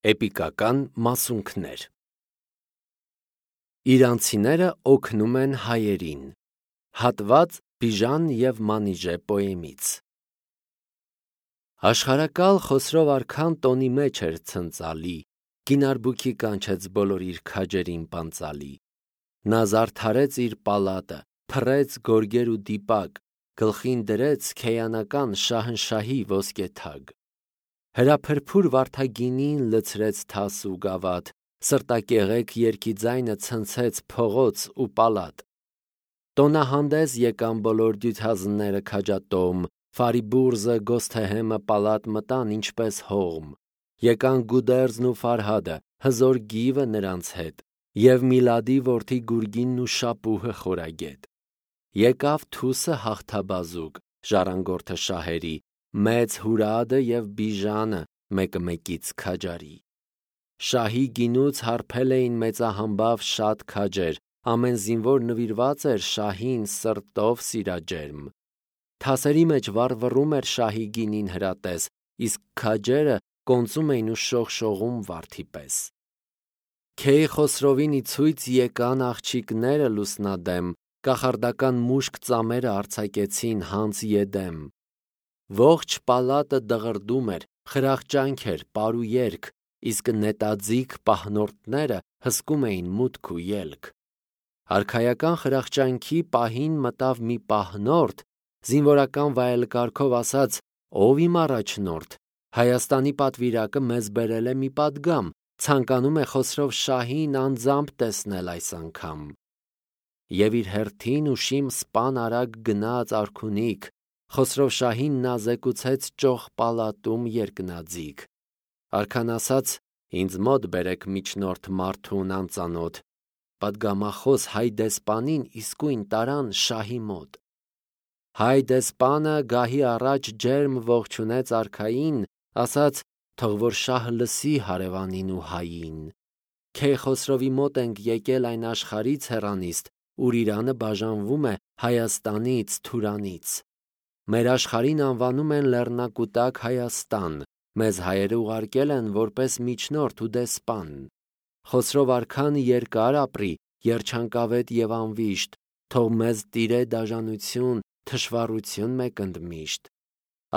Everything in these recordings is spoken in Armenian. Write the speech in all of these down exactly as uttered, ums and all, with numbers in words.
Էպիկական մասունքներ։ Իրանցիները օգնում են հայերին։ Հատված Բիժան և Մանիժե պոեմից։ Աշխարհակալ Խոսրով արքան տոնի մեջ էր ցնծալի, գինարբուքի կանչեց բոլոր իր քաջերին պանծալի։ Նա զարդարեց իր պալատը, փռեց գորգեր ու դիպակ, գլխին դրեց քեյանական շահնշահի ոսկե թագ։ Հրափրփուր վարդագինին լցրեց թաս ու գավաթ, սրտակեղեք երգի ձայնը ցնցեց փողոց ու պալատ։ Տոնահանդես եկան բոլոր դյութազները քաջատոմ, Ֆարիբուրզը Գոսթեհեմը պալատ մտան ինչպես հողմ։ Եկան Գուդերձն ու Ֆարհադը, հզոր գիվը նրանց հետ, և Միլադի որդի Գուրգինն ու Շապուհը խորագետ։ Եկավ Թուսը հաղթաբազուկ, ժառանգորդը շահերի, Մեծ Հուրադը և Բիժանը մեկը մեկից քաջարի։ Շահի գինուց հարբել էին մեծահամբավ շատ քաջեր, ամեն զինվոր նվիրված էր շահին սրտով սիրաջերմ։ Թասերի մեջ վառվռում էր շահի գինին հրատես, իսկ քաջերը կոնծում էին ու շողշողում վարդի պես։ Քեյխոսրովին ի ցույց եկան աղջիկները լուսնադեմ, կախարդական մուշկ ծամերը արձակեցին հանց Եդեմ։ Ողջ պալատը դղրդում էր, խրախճանք էր, պար ու երգ, իսկ նետաձիգ պահնորդները հսկում էին մուտք ու ելք։ Արքայական խրախճանքի պահին մտավ մի պահնորդ, զինվորական վայելկարգով ասաց. «Ով իմ առաջնորդ, Հայաստանի պատվիրակը մեզ բերել է մի պատգամ, ցանկանում է Խոսրով շահին անձամբ տեսնել այս անգամ»։ Եվ իր հերթին ուշիմ սպան արագ գնաց արքունիք, Խոսրով շահին նա զեկուցեց ճոխ պալատում երկնաձիգ։ Արքան ասաց. «Ինձ մոտ բերեք միջնորդ մարդուն անծանոթ»։ Պատգամախոս հայ դեսպանին իսկույն տարան շահի մոտ։ Հայ դեսպանը գահի առաջ ջերմ ողջունեց արքային, ասաց. «Թող որ շահը լսի հարևանին ու հային։ Քեյխոսրովի մոտ ենք եկել այն աշխարհից հեռանիստ, ուր Իրանը բաժանվում է Հայաստանից, Թուրանից։ Մեր աշխարհին անվանում են Լեռնակուտակ Հայաստան, մեզ հայերը ուղարկել են որպես միջնորդ ու դեսպան։ Խոսրով արքան երկար ապրի, երջանկավետ և անվիշտ, թող մեզ տիրե դաժանություն, թշվառություն մեկ ընդմիշտ։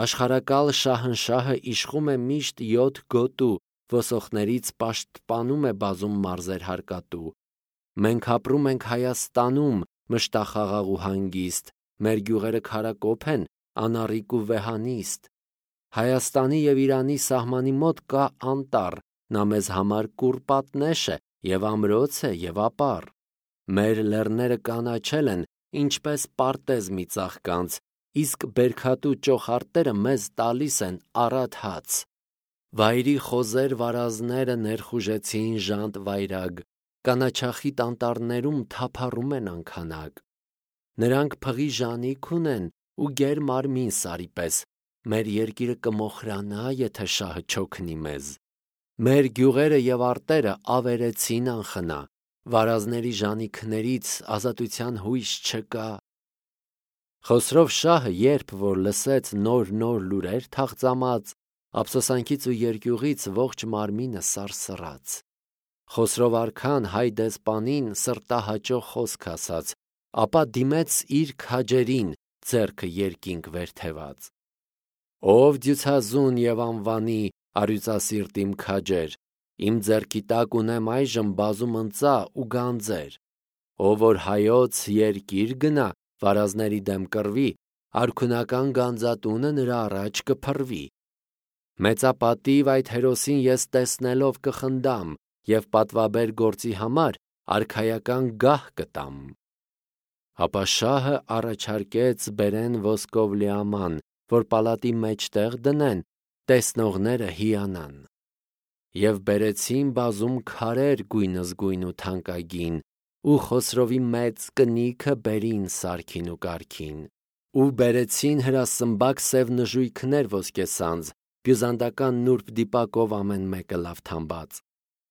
Աշխարհակալ շահնշահը իշխում է միշտ յոթ գոտու, ոսոխներից պաշտպանում է բազում մարզեր հարկատու։ Մենք ապրում ենք Հայաստանում, մշտախաղաղ ու հանգիստ, մեր գյուղերը քարակոփ են, անառիկ ու վեհանիստ։ Հայաստանի և Իրանի սահմանի մոտ կա անտառ, նա մեզ համար կուրպատնեշ է, և ամրոց է, և ապառ։ Մեր լեռները կանաչել են, ինչպես պարտեզ մի ծաղկանց, իսկ բերքատու ճոխարտերը մեզ տալիս են առատ հաց։ Վայրի խոզեր վարազները ներխուժեցին ժանտ վայրագ, կանաչախիտ անտառներում թափառում են անքանակ։ Նրանք փղի ժանիք ունեն ու գեր մարմին սարի պես, մեր երկիրը կմոխրանա, եթե շահը չօգնի մեզ։ Մեր գյուղերը և արտերը ավերեցին անխնա, վարազների ժանիքներից ազատության հույս չկա։ Խոսրով շահը երբ որ լսեց նոր-նոր լուրեր թաղծամած, ափսոսանքից ու երկյուղից ողջ մարմինը սարսռաց։ Խոսրով արքան հայ դեսպանին սրտահաճո խոսք ասաց, ապա դիմեց իր քաջերին, ձեռքը երկինք վեր թևած. «Ով դյուցազուն և անվանի, առյուծասիրտ իմ քաջեր, իմ ձեռքի տակ ունեմ այժմ բազում ընծա ու գանձեր։ Ով որ հայոց երկիր գնա, վարազների դեմ կռվի, արքունական գանձատունը նրա առաջ կփռվի։ Մեծապատիվ այդ հերոսին ես տեսնելով կխնդամ և պատվաբեր գործի համար արքայական գահ կտամ»։ Ապա շահը առաջարկեց բերեն ոսկով լիաման, որ պալատի մեջտեղ դնեն, տեսնողները հիանան։ Եվ բերեցին բազում քարեր գույնզգույն ու թանկագին, ու Խոսրովի մեծ կնիքը բերին սարքին ու կարգին։ Ու բերեցին հրասմբակ սև նժույգներ ոսկեսանձ, բյուզանդական նուրբ դիպակով ամեն մեկը լավ թամբած։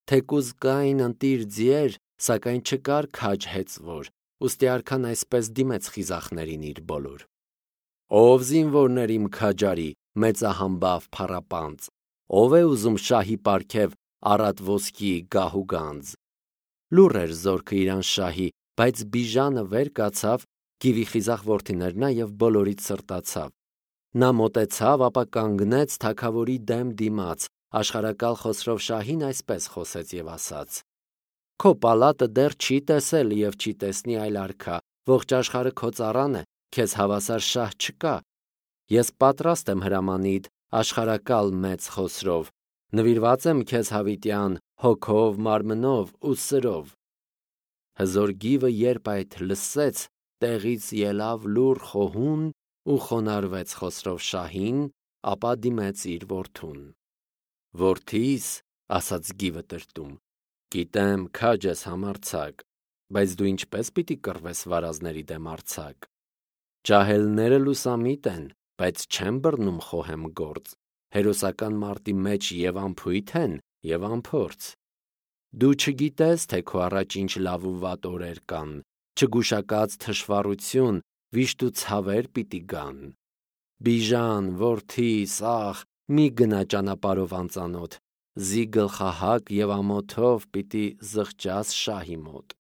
Թեկուզ կային ընտիր ձիեր, սակայն չկար քաջ հեծվոր, ուստի արքան այսպես դիմեց խիզախներին իր բոլոր. «Ով զինվորներ իմ քաջարի, մեծահամբավ փառապանծ, ով է ուզում շահի պարգև առատ ոսկի գահուգանձ։ Լուռ էր զորքը իրան շահի, բայց Բիժանը վեր կացավ, գիվի խիզախ որդիներն և բոլորից սրտացավ։ Նա մոտեցավ, ապա կանգնեց թագավորի դեմ դիմաց, աշխարհակալ Խոսրով շահին այսպես խոսեց և ասաց. «Քո պալատը դեռ չի տեսել և չի տեսնի այլ արքա, ողջ աշխարհը քո ծառան է, քեզ հավասար շահ չկա։ Ես պատրաստ եմ հրամանիդ, աշխարհակալ մեծ Խոսրով, նվիրված եմ քեզ հավիտյան հոգով, մարմնով ու սրով»։ Հզոր գիվը երբ այդ լսեց, տեղից ելավ լուռ խոհուն ու խոնարհվեց Խոսրով շահին, ապա դիմեց իր որդուն։ «Որդիս, – ասաց գիվը տրտում, – գիտեմ քաջ ես համարձակ, բայց դու ինչպե՞ս պիտի կռվես վարազների դեմ արձակ։ Ջահելները լուսամիտ են, բայց չեն բռնում խոհեմ գործ, հերոսական մարտի մեջ և անփույթ են, և անփորձ։ Դու չգիտես, թե քո առաջ ինչ լավ ու վատ օրեր կան, չգուշակած թշվառություն, վիշտ ու ցավեր պիտի գան։ Բիժան, որդիս, ախ, մի գնա ճանապարհով անծանոթ, զի գլխահակ և ամոթով պիտի զղջաս շահի մոտ»։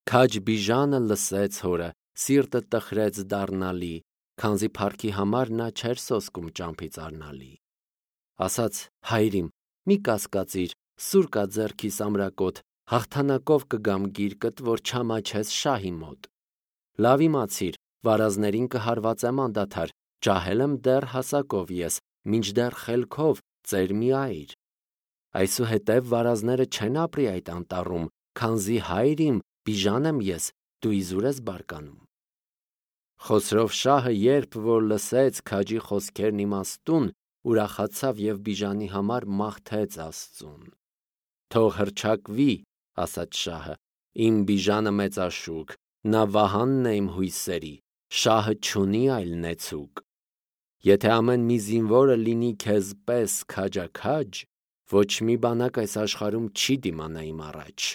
Քաջ Բիժանը լսեց հորը, սիրտը տխրեց դառնալի, քանզի փառքի համար նա չէր սոսկում ճամփից առնալի։ Ասաց. «Հայր իմ, մի կասկածիր, սուր կա ձեռքիս ամրակոտ, հաղթանակով կգամ գիրկդ, որ չամաչես շահի մոտ։ Լավ իմացիր, վարազներին կհարվածեմ անդադար, ջահել եմ դեռ հասակով ես, մինչդեռ խելքով ծեր մի այր։ Այսուհետև վարազները չեն ապրի այդ անտառում, քանզի հայր իմ, Բիժան եմ ես, դու իզուր ես բարկանում»։ Խոսրով շահը երբ որ լսեց քաջի խոսքերն իմաստուն, ուրախացավ և Բիժանի համար մաղթեց Աստծուն։ «Թող հռչակվի, – ասաց շահը, – իմ Բիժանը մեծաշուք, նա վահանն է իմ հույսերի, շահը չունի այլ նեցուկ։ Եթե ամեն մի զինվորը լինի քեզ պես քաջաքաջ, ոչ մի բանակ այս աշխարհում չի դիմանա իմ առաջ»։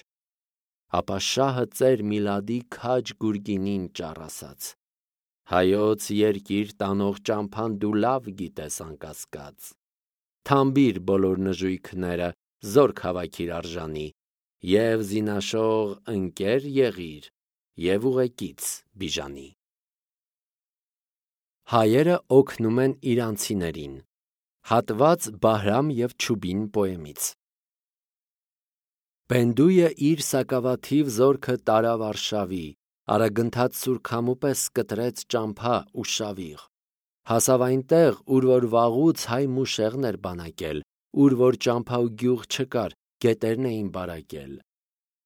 Ապա շահը ծեր Միլադի քաջ Գուրգինին ճառ ասաց. «Հայոց երկիր տանող ճամփան դու լավ գիտես անկասկած։ Թամբիր բոլոր նժույգները, զորք հավաքիր արժանի, և զինաշող ընկեր եղիր, և ուղեկից Բիժանի»։ Հայերը օգնում են իրանցիներին։ Հատված Բահրամ և Չուբին պոեմից։ Բենդույը իր սակավաթիվ զորքը տարավ արշավի, արագընթաց սուրքամու պես կտրեց ճամփա ու շավիղ։ Հասավ այնտեղ, ուր որ վաղուց հայ մուշեղն էր բանակել, ուր որ ճամփա ու գյուղ չկար, գետերն էին բարակել։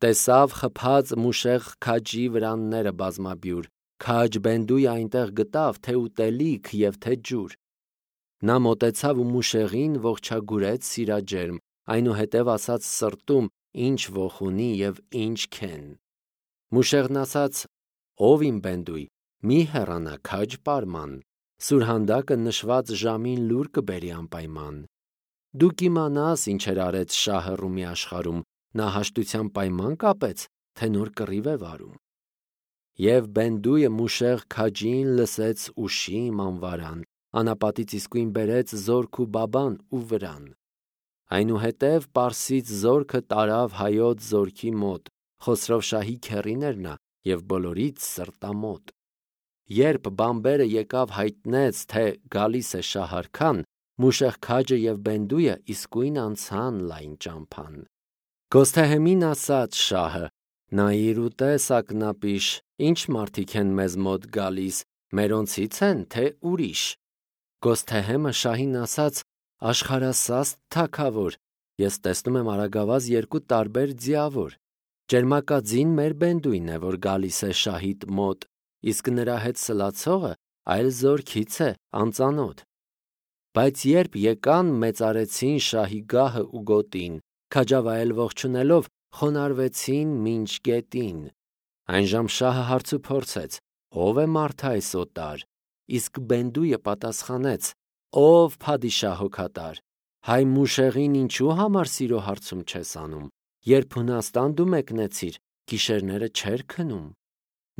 Տեսավ խփած մուշեղ քաջի վրանները բազմաբյուր, քաջ Բենդույը այնտեղ գտավ թե ուտելիք և թե ջուր։ Նա մոտեցավ ու մուշեղին ողջագուրեց սիրաջերմ, այնուհետև ասաց սրտում, ինչ ոխ ունի և ինչ քեն։ Մուշեղն ասաց. «Ով իմ Բենդույ, մի հեռանա քաջ պարման, սուրհանդակը նշված ժամին լուր կբերի անպայման։ Դու կիմանաս ինչեր արեց շահը Ռումի աշխարհում, նա հաշտության պայման կապեց, թե նոր կռիվ է վարում»։ Եվ Բենդույը մուշեղ քաջին լսեց ուշիմ անվարան, անապատից իսկույն բերեց զորք ու բաբան ու վրան։ Այնուհետև պարսից զորքը տարավ հայոց զորքի մոտ, Խոսրով շահի քեռին էր նա և բոլորից սրտամոտ։ Երբ բանբերը եկավ հայտնեց, թե գալիս է շահարքան, մուշեղ քաջը և Բենդույը իսկույն անցան լայն ճամփան։ Գոսթեհեմին ասաց շահը. «Նայիր ու տես ակնապիշ, ինչ մարդիկ են մեզ մոտ գալիս, մերոնցի՞ց են, թե ուրիշ»։ Գոսթեհեմը շահին ասաց. «Աշխարհասաստ թագավոր, ես տեսնում եմ արագավազ երկու տարբեր ձիավոր։ Ճերմակաձին մեր Բենդույն է, որ գալիս է շահիդ մոտ, իսկ նրա հետ սլացողը այլ զորքից է, անծանոթ։ Բայց երբ եկան, մեծարեցին շահի գահը ու գոտին, քաջավայել ողջունելով, խոնարհվեցին մինչ գետին։ Այնժամ շահը հարց ու փորձեց. ով է մարդը այս օտար։ Իսկ Բենդույը պատասխանեց. ով փադիշահ հոգատար, հայ մուշեղին ինչու համար սիրո հարցում չես անում, երբ Հունաստան դու մեկնեցիր, գիշերները չէր քնում։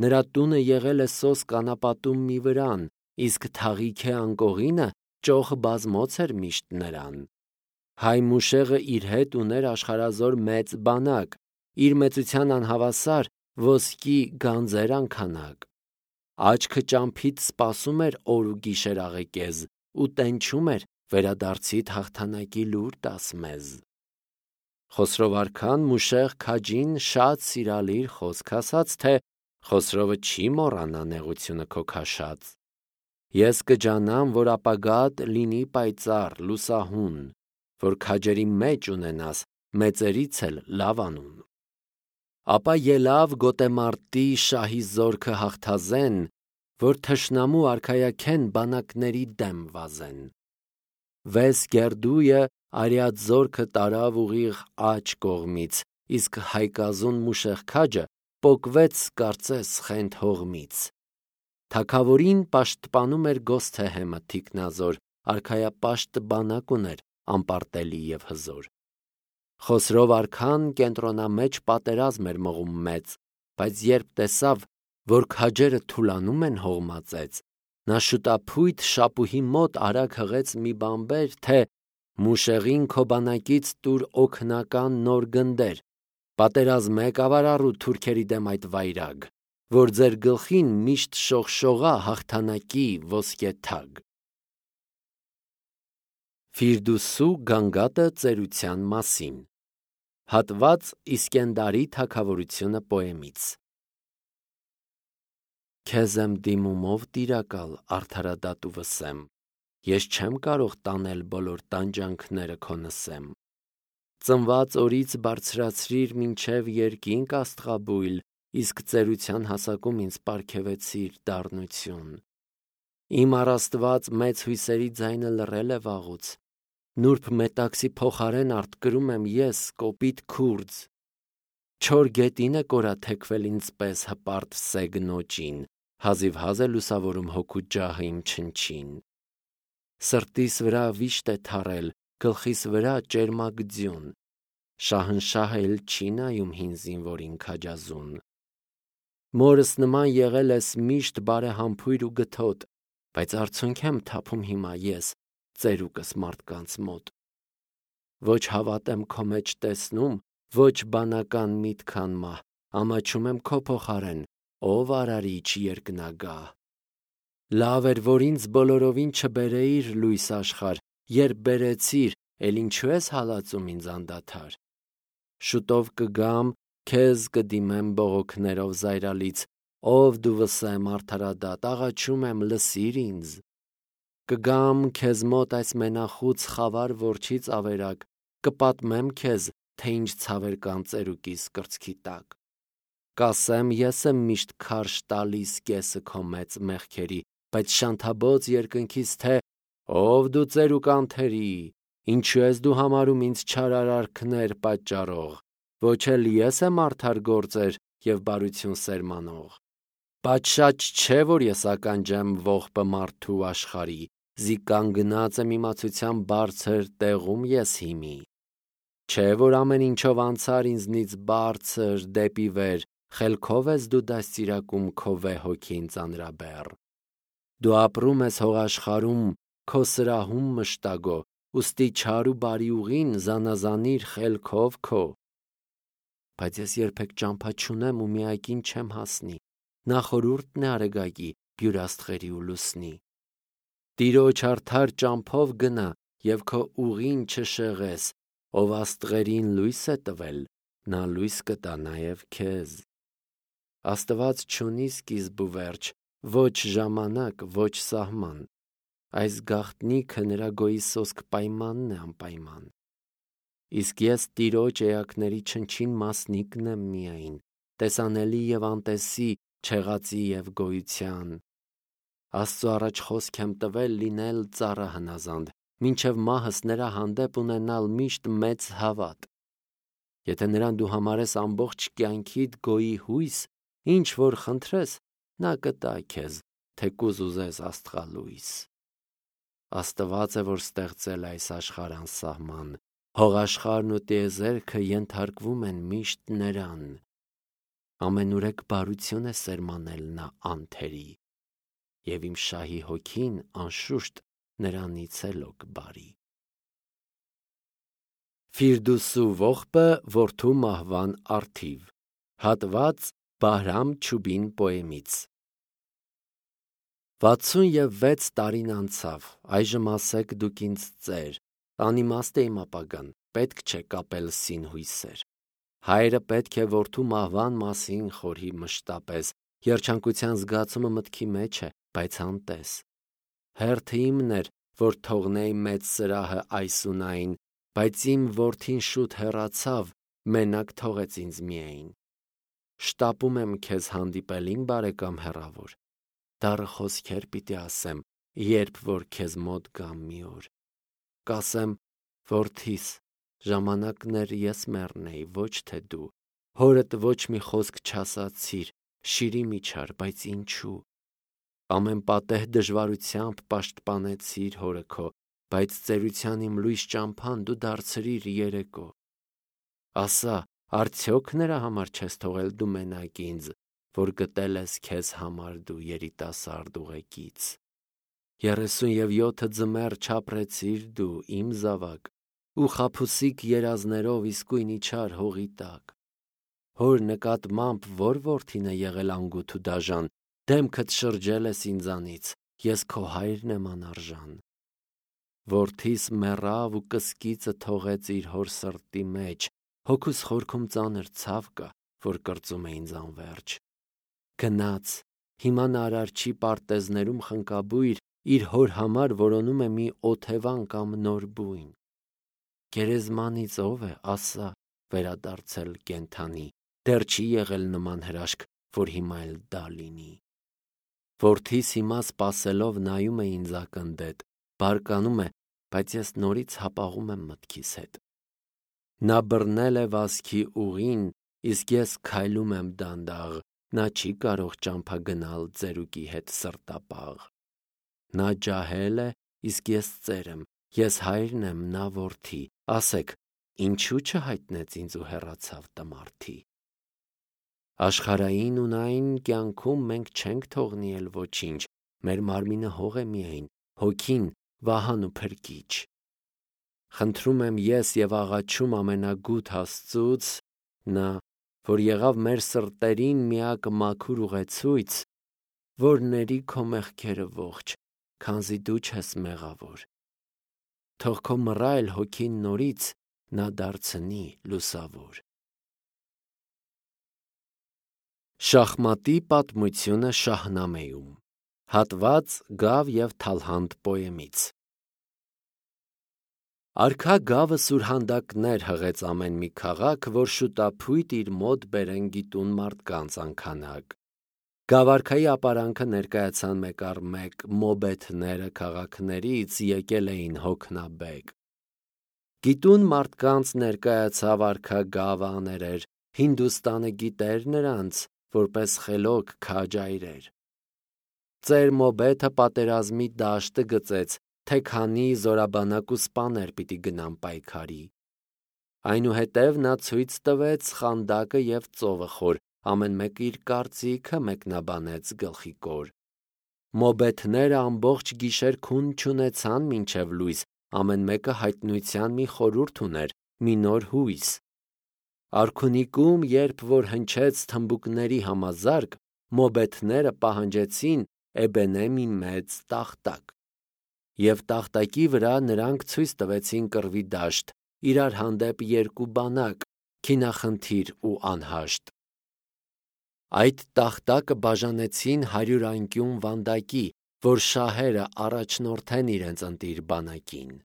Նրա տունը եղել է սոսկ անապատում մի վրան, իսկ թաղիթե անկողինը ճոխ բազմոց էր միշտ նրան։ Հայ Մուշեղը իր հետ ուներ աշխարհազոր մեծ բանակ, իր մեծության անհավասար ոսկի գանձեր անքանակ։ Աչքը ճամփից սպասում էր օր ու գիշեր աղեկեզ, ու տենչում էր վերադարձիդ հաղթանակի լուր տաս մեզ։ Խոսրով արքան Մուշեղ քաջին շատ սիրալիր խոսք ասաց, թե Խոսրովը չի մոռանա նեղությունը քո քաշած։ Ես կջանամ, որ ապագատ լինի պայծառ, լուսահուն, որ քաջերի մեջ ունենաս մեծերից էլ լավ անուն։ Ապա ելավ գոտեմարտի շահի զորքը հաղթազեն, որ թշնամու արքայաքեն բանակների դեմ վազեն։ Վես գերդույը արյած զորքը տարավ ուղիղ աջ կողմից, իսկ հայկազուն Մուշեղ քաջը պոկվեց կարծես խենթ հողմից։ Թագավորին պաշտպանում էր Գոսթեհեմը թիկնազոր, արքայապաշտ բանակ ուներ անպարտելի և հզոր։ Խոսրով արքան կենտրոնամեջ պատերազմ էր մղում մեծ, բայց երբ տեսավ, որ քաջերը թուլանում են հողմածեց, նա շուտափույթ շապուհի մոտ արագ հղեց մի բանբեր, թե Մուշեղին քո բանակից տուր օգնական նոր գնդեր, պատերազմ եկավ առու թուրքերի դեմ այդ վայրագ, որ ձեր գլխին միշտ շողշողա հաղթանակի ոսկե թագ։ Ֆիրդուսու գանգատը ծերության մասին։ Հատված Իսկենդարի թագավորությունը պոեմից։ Քեզ եմ դիմումով տիրակալ, արդարադատու վսեմ, ես չեմ կարող տանել բոլոր տանջանքները քո նսեմ։ Ծնված օրից բարձրացրիր մինչև երկինք աստղաբույլ, իսկ ծերության հասակում ինձ պարգևեցիր դառնություն։ Իմ առաստված մեծ հույսերի ձայնը լռել է վաղուց, նուրբ մետաքսի փոխարեն արտկրում եմ ես կոպիտ քուրձ։ Չոր գետին է կորաթեքվել ինձ պես հպարտ սեգնոճին, հազիվհազ է լուսավորում հոգու ջահը իմ չնչին։ Սրտիս վրա վիշտ է թարել, գլխիս վրա ճերմակ ձյուն, շահնշահը էլ չի նայում հին զինվորին քաջազուն։ Մորս նման եղել ես միշտ բարեհամբույր ու գթոտ, բայց արցունք եմ թափում հիմա ես ծերուկս մարդկանց մոտ։ Ոչ հավատ եմ քո մեջ տեսնում, ոչ բանական միտք անմահ, ամաչում եմ քո փոխարեն, ով արարիչ երկնագահ։ Լավ էր, որ ինձ բոլորովին չբերեիր լույս աշխարհ, երբ բերեցիր, էլ ինչու ես հալածում ինձ անդադար։ Շուտով կգամ, քեզ կդիմեմ բողոքներով զայրալից, ով դու վսեմ արդարադատ, աղաչում եմ լսիր ինձ։ Կգամ քեզ մոտ այս մենախուց խավար որջից ավերակ, կպատմեմ քեզ, թե ինչ ցավեր կան ծերուկիս կրծքի տակ։ Կասեմ, ես եմ միշտ քարշ տալիս կեսը քո մեծ մեղքերի, բայց շանթաբոց երկնքից, թե ով դու ծերուկ անթերի, ինչու ես դու համարում ինձ չար արարքներ պատճառող, ոչ էլ ես եմ արդար գործեր և բարություն սերմանող։ Պատշաճ չէ, որ ես ականջեմ ողբը մարդու աշխարհի, զի կանգնած եմ իմացության բարձր տեղում ես հիմի։ Չէ, որ ամեն ինչով անցար ինձնից բարձր դեպի վեր, խելքով ես դու դաստիարակում քո վեհ հոգին ծանրաբեռ։ Դու ապրում ես հողաշխարհում քո սրահում մշտագո, ուստի չար ու բարի ուղին զանազանիր խելքով քո։ Բայց ես երբեք ճամփա չունեմ ու միակին չեմ հասնի, նախորուրդն է արեգակի, բյուրաստղերի ու լուսնի։ Տիրոջ արդար ճամփով գնա և քո ուղին չշեղես, ով աստղերին լույս է տվել, նա լույս կտա նաև քեզ։ Աստված չունի սկիզբ ու վերջ, ոչ ժամանակ, ոչ սահման, այս գաղտնիքը նրա գոյի սոսկ պայմանն է անպայման։ Իսկ ես Տիրոջ էակների չնչին մասնիկն եմ միայն, տեսանելի և անտեսի, չեղածի և գոյության։ Աստծու առաջ խոսք եմ տվել լինել ծառա հնազանդ, մինչև մահս նրա հանդեպ ունենալ միշտ մեծ հավատ։ Եթե նրան դու համարես ամբողջ կյանքիդ գոյի հույս, ինչ որ խնդրես, նա կտա քեզ, թեկուզ ուզես աստղալույս։ Աստված է, որ ստեղծել այս աշխարհ անսահման, հողաշխարհն ու տիեզերքը ենթարկվում են միշտ նրան։ Ամենուրեք բարություն է սերմանել նա անթերի, և իմ շահի հոգին անշուշտ նրանից է լոկ բարի։ Ֆիրդուսու ողբը որդու մահվան առթիվ։ Հատված Բահրամ Չուբին պոեմից։ Վաթսուն և վեց տարին անցավ, այժմ ասեք դուք ինձ ծեր, անիմաստ է իմ ապագան, պետք չէ կապել սին-հույսեր։ Հայրը պետք է որդու մահվան մասին խորհի մշտապես, երջանկության զգացումը մտքի մեջ է, բայց անտես։ Հերթը իմն էր, որ թողնեի մեծ սրահը այսունային, բայց իմ որդին շուտ հեռացավ, մենակ թողեց ինձ միայն։ Շտապում եմ քեզ հանդիպել իմ բարեկամ հեռավոր, դառը խոսքեր պիտի ասեմ, երբ որ քեզ մոտ գամ մի օր։ Կասեմ, որդիս, ժամանակներ ես մեռնեի, ոչ թե դու, հորդ ոչ մի խոսք չասացիր, շիրի միջար, բայց ինչու։ Ամեն պատեհ դժվարությամբ պաշտպանեցիր հորը քո, բայց ծերության իմ լույս ճամփան դու դարձրիր երեկո։ Ասա, արդյոք նրա համար չես թողել դու մենակ ինձ, որ գտել ես քեզ համար դու երիտասարդ ուղեկից։ Երեսուն և յոթը ձմեռ չապրեցիր դու իմ զավակ, ու խաբուսիկ երազներով իսկույն իջար հողի տակ։ Հոր նկատմամբ որ որդին է եղել անգութ ու դաժան, դեմքդ շրջել ես ինձանից, ես քո հայրն եմ անարժան։ Որդիս մեռավ ու կսկիծը թողեց իր հոր սրտի մեջ, հոգուս խորքում ծանր ցավ կա, որ կրծում է ինձ անվերջ։ Գնաց, հիմա նա արարչի պարտեզներում խնկաբույր իր հոր համար որոնում է մի օթևան կամ նոր բույն։ Գերեզմանից ով է, ասա, վերադարձել կենդանի, դեռ չի եղել նման հրաշք, որ հիմա էլ դա լինի։ Որդիս հիմա սպասելով նայում է ինձ ակնდետ, բարկանում է, բայց ես նորից հապաղում եմ մտքիս հետ։ Նա բռնել է վազքի ուղին, իսկ ես քայլում եմ դանդաղ, նա չի կարող ճամփա գնալ ծերուկի հետ սրտապաղ։ Նա ջահել է, իսկ ես ծեր եմ, ես հայրն եմ, նա որդի, ասեք, ինչու չհայտնեց ինձ ու հեռացավ տմարդի։ Աշխարհային ունայն կյանքում մենք չենք թողնի էլ ոչինչ, մեր մարմինը հող է միայն, հոգին վահան ու փրկիչ։ Խնդրում եմ ես և աղաչում ամենագութ Աստծուց, նա, որ եղավ մեր սրտերին միակ մաքուր ուղեցույց, որ ների քո մեղքերը ողջ, քանզի դու չես մեղավոր։ Թող քո մռայլ հոգին նորից նա դարձնի լուսավոր։ Շախմատի պատմությունը Շահնամեում։ Հատված Գավ և Թալհանդ պոեմից։ Արքա Գավը սուրհանդակներ հղեց ամեն մի քաղաք, որ շուտափույտ իր մոտ բերեն գիտուն մարդկանց անքանակ։ Գավարքայի ապարանքը ներկայացան մեկ առ մեկ մոբեթները քաղաքներից եկել էին հոգնաբեկ։ Գիտուն մարդկանց ներկայացավ արքա Գավը աներեր, Հինդուստանը գիտեր նրանց, որպես խելոք քաջ այրեր։ Ծեր մոբեթը պատերազմի դաշտը գծեց, թե քանի զորաբանակ ու սպաներ պիտի գնան պայքարի։ Այնուհետև նա ցույց տվեց խանդակը և ծովը խոր, ամեն մեկ իր կարծիքը մեկնաբանեց գլխի կոր։ Մոբեթները ամբողջ գիշեր քուն չունեցան մինչև լույս, ամեն մեկը հայտնության մի խորհուրդ ուներ, մի նոր հույս։ Արքունիքում, երբ որ հնչեց թմբուկների համազարկ, մոբեթները պահանջեցին էբենե մի մեծ տախտակ։ Եվ տախտակի վրա նրանք ցույց տվեցին կռվի դաշտ, իրար հանդեպ երկու բանակ, քինախնդիր ու անհաշտ։ Այդ տախտակը բաժանեցին հարյուր անկյուն վանդակի, որ շահերը առաջնորդեն իրենց ընտիր բանակին։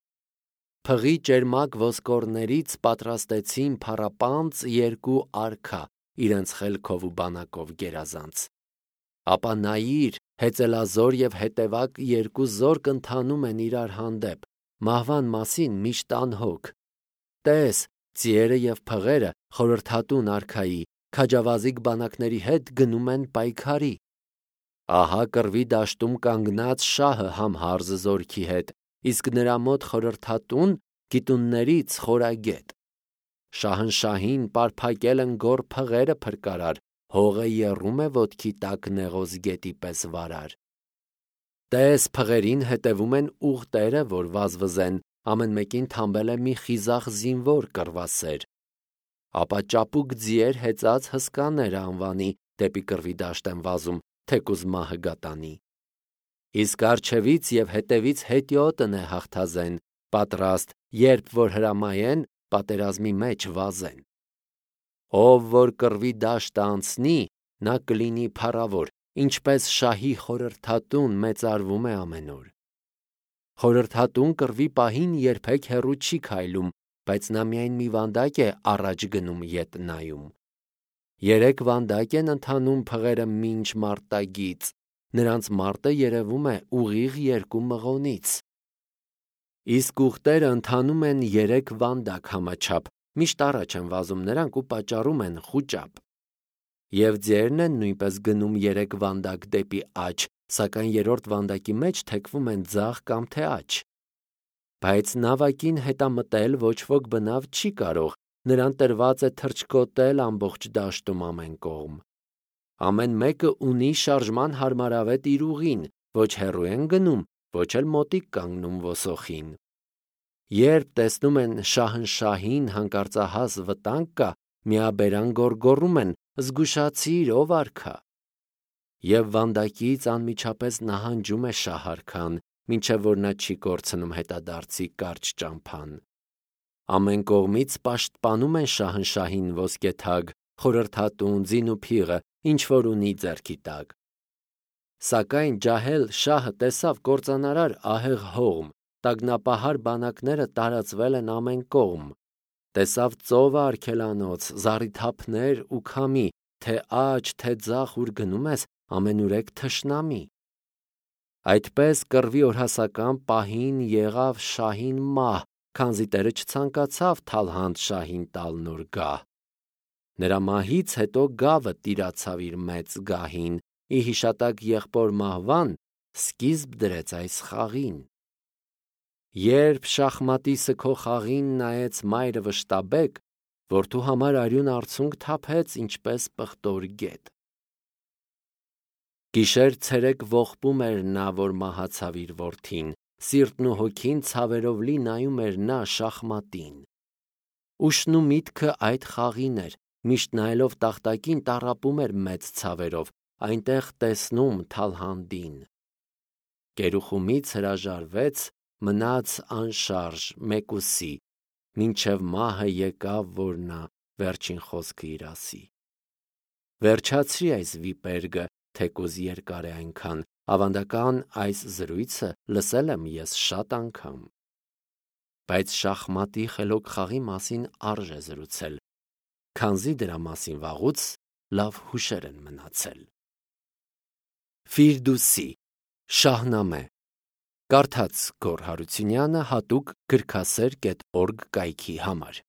Փղի ճերմակ ոսկորներից պատրաստեցին փառապանծ երկու արքա, իրենց խելքով ու բանակով գերազանց։ Ապա նայիր, հեծելազոր և հետևակ երկու զորք ընթանում են իրար հանդեպ, մահվան մասին միշտ անհոգ։ Տես, ձիերը և փղերը խորհրդատուն արքայի, քաջավազիկ բանակների հետ գնում են պայքարի։ Ահա կռվի դաշտում կանգնած շահը համհարզ զորքի հետ, իսկ նրա մոտ խորհրդատուն գիտուններից խորագետ։ Շահնշահին պարփակել են գոր փղերը փրկարար, հողը եռում է ոտքի տակ նեղոզ գետի պես վարար։ Տես, փղերին հետևում են ուղտերը, որ վազվզեն, ամեն մեկին թամբել է մի խիզախ զինվոր կռվասեր, ապա ճապուկ ձիեր հեծած հսկաներ անվանի դեպի կռվի դաշտ են վազում, թեկուզ մահը գատանի։ Իսկ առջևից և հետևից հետիոտն է հաղթազեն, պատրաստ, երբ որ հրամայեն, պատերազմի մեջ վազեն։ Ով որ կռվի դաշտը անցնի, նա կլինի փառավոր, ինչպես շահի խորհրդատուն մեծարվում է ամենուր։ Խորհրդատուն կռվի պահին երբեք հեռու չի քայլում, բայց նա միայն մի վանդակ է առաջ գնում ետ նայում։ Երեք վանդակ են ընթանում փղերը մինչ մարտագից, նրանց մարտը երևում է ուղիղ երկու մղոնից։ Իսկ ուղտերը ընթանում են երեք վանդակ համաչափ, միշտ առաջ են վազում նրանք ու պատճառում են խուճապ։ Եվ ձերն են նույնպես գնում երեք վանդակ դեպի աջ, սակայն երրորդ վանդակի մեջ թեքվում են ձախ կամ թե աջ։ Բայց նավակին հետամտել ոչ ոք բնավ չի կարող, նրան տրված է թռչկոտել ամբողջ դաշտում ամեն կողմ։ Ամեն մեկը ունի շարժման հարմարավետ իր ուղին, ոչ հեռու են գնում, ոչ էլ մոտիկ կանգնում ոսոխին։ Երբ տեսնում են շահնշահին հանկարծահաս վտանգ կա, միաբերան գոռգոռում են. «Զգուշացիր, ով արքա»։ Եվ վանդակից անմիջապես նահանջում է շահ-արքան, մինչև որ նա չի կորցնում հետադարձի կարճ ճամփան։ Ամեն կողմից պաշտպանում են շահնշահին ոսկեթագ, խորհրդատուն, ձին ու փիղը, ինչ որ ունի ձեռքի տակ։ Սակայն ջահել շահը տեսավ կործանարար ահեղ հողմ, տագնապահար բանակները տարածվել են ամեն կողմ։ Տեսավ ծովը արգելանոց, զառիթափներ ու քամի, թե աջ, թե ձախ ուր գնում ես, ամենուրեք թշնամի։ Այդպես կռվի օրհասական պահին եղավ շահին մահ, քանզի Տերը չցանկացավ թալհանդ շահին տալ նոր գահ։ Նրա մահից հետո գավը տիրացավ իր մեծ գահին, ի հիշատակ եղբոր մահվան սկիզբ դրեց այս խաղին։ Երբ շախմատիսը քո խաղին նայեց մայրը վշտաբեկ, որդու համար արյուն արցունք թափեց, ինչպես պղտոր գետ։ Գիշեր ցերեկ ողբում էր նա, որ մահացավ իր որդին, սիրտն ու հոգին ցավերով լի նայում էր նա շախմատին։ Ուշն ու միտքը այդ խաղին էր, միշտ նայելով տախտակին տառապում էր մեծ ցավերով, այնտեղ տեսնում Թալհանդին։ Գերուխումից հրաժարվեց, մնաց անշարժ մեկուսի, մինչև մահը եկավ, որ նա վերջին խոսքը իր ասի։ Վերջացրի այս վիպերգը, թեկուզ երկար է այնքան, ավանդական այս զրույցը լսել եմ ես շատ անգամ։ Բայց շախմատի խելոք խաղի մասին արժե զրուցել, քանզի դրա մասին վաղուց լավ հուշեր են մնացել։ Ֆիրդուսի Շահնամե Կարդաց Գոռ Հարությունյանը հատուկ գրքասեր կետ օրգ կայքի համար։